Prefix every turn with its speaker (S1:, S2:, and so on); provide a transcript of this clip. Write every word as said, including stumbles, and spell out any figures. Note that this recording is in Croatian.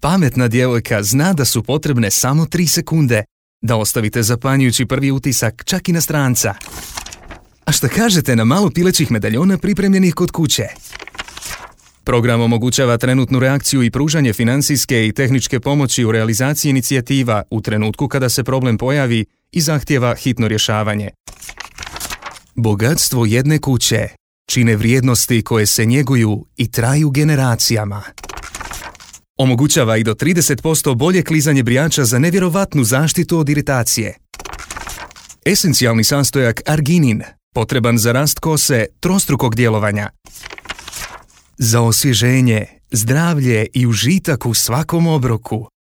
S1: Pametna djevojka zna da su potrebne samo tri sekunde da ostavite zapanjujući prvi utisak čak i na stranca. A šta kažete na malo pilećih medaljona pripremljenih kod kuće? Program omogućava trenutnu reakciju i pružanje financijske i tehničke pomoći u realizaciji inicijativa u trenutku kada se problem pojavi i zahtijeva hitno rješavanje. Bogatstvo jedne kuće čine vrijednosti koje se njeguju i traju generacijama. Omogućava i do trideset posto bolje klizanje brijača za nevjerovatnu zaštitu od iritacije. Esencijalni sastojak arginin, potreban za rast kose trostrukog djelovanja. Za osvježenje, zdravlje i užitak u svakom obroku.